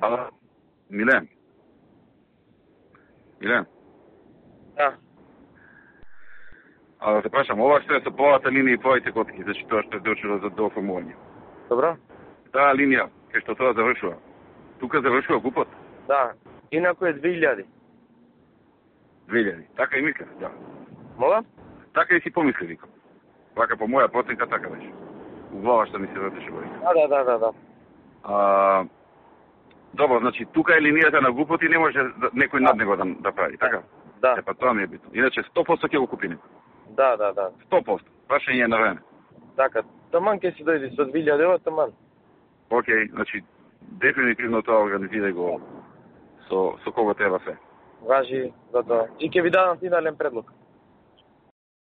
Ало, Милен? Милен? Да. А да те прашам, ова што е со полата линија и твоите котки, значи тоа што е дочело за дооформување. Добро? Таа линија, кај што тоа завршува, тука завршува ГУПот? Да. Инако е 2000. 2000. Така и мислев, да. Мола? Така и си помисли, викам. Вака по моја проценка така беше. У глава што ми се вртеше во Да. Добро, значи тука е линијата на ГУПот и не може некој над него да прави, така? Да. Па тоа ми е битно. Иначе 100% ќе го купи некој. Да. 100%. Прашање е на време. Така. Таман ќе си дојде со 2000 ева, таман. Океј, значи дефинитивно тоа организирај го со кого треба се. Важи за тоа. И ќе ви дадам финален предлог.